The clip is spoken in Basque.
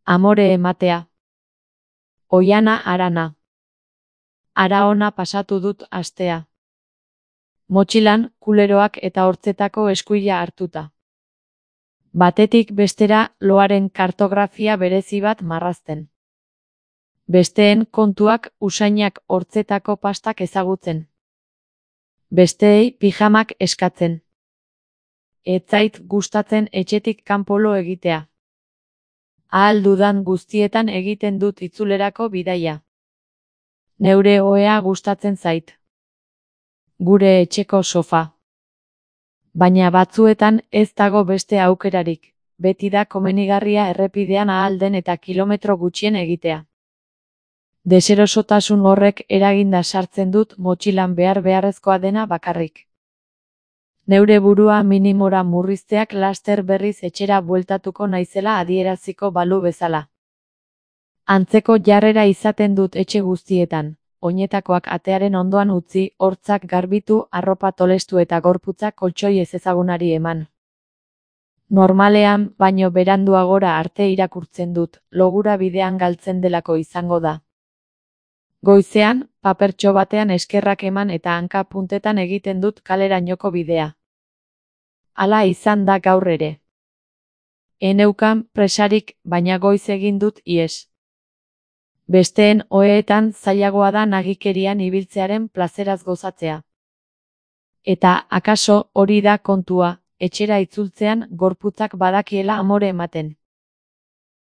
Amore ematea. Oiana Arana. Ara ona pasatu dut astea. Motxilan, kuleroak eta hortzetako eskuila hartuta. Batetik bestera loaren kartografia berezi bat marrazten. Besteen kontuak usainak hortzetako pastak ezagutzen. Besteei pijamak eskatzen. Ez zait gustatzen etxetik kanpolo egitea. Ahal dudan guztietan egiten dut itzulerako bidaia. Neure ohea gustatzen zait. Gure etxeko sofa. Baina batzuetan ez dago beste aukerarik, beti da komenigarria errepidean ahal den eta kilometro gutxien egitea. Deserosotasun horrek eraginda sartzen dut motxilan beharrezkoa dena bakarrik. Neure burua minimora murrizteak laster berriz etxera bueltatuko naizela adieraziko balu bezala. Antzeko jarrera izaten dut etxe guztietan, oinetakoak atearen ondoan utzi, hortzak garbitu, arropa tolestu eta gorputza koltxoi ezezagunari eman. Normalean, baino beranduagora arte irakurtzen dut, logura bidean galtzen delako izango da. Goizean, papertxo batean eskerrak eman eta hanka puntetan egiten dut kalerainoko bidea. Hala izan da gaur ere. Eneukan presarik, baina goiz egin dut ihes. Besteen oheetan zailagoa da nagikerian ibiltzearen plazeraz gozatzea. Eta, akaso, hori da kontua, etxera itzultzean gorputzak badakiela amore ematen.